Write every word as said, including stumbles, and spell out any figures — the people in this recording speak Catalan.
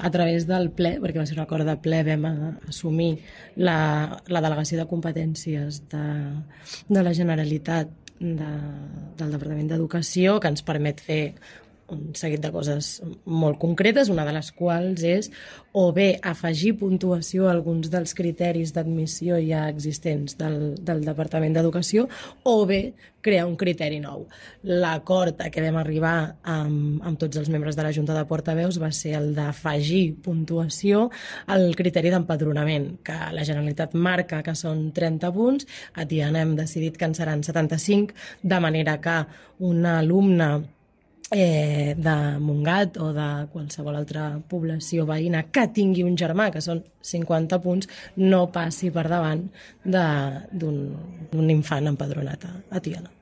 a través del ple, perquè va ser un acord de ple, vam assumir la, la delegació de competències de, de la Generalitat de, del Departament d'Educació, que ens permet fer un seguit de coses molt concretes, una de les quals és o bé afegir puntuació a alguns dels criteris d'admissió ja existents del, del Departament d'Educació o bé crear un criteri nou. L'acord a què vam arribar amb, amb tots els membres de la Junta de Portaveus va ser el d'afegir puntuació al criteri d'empadronament, que la Generalitat marca que són trenta punts, a Tiana hem decidit que en seran setanta-cinc, de manera que un alumne Eh, de Montgat o de qualsevol altra població veïna que tingui un germà, que són cinquanta punts, no passi per davant d'un infant empadronat a, a Tiana.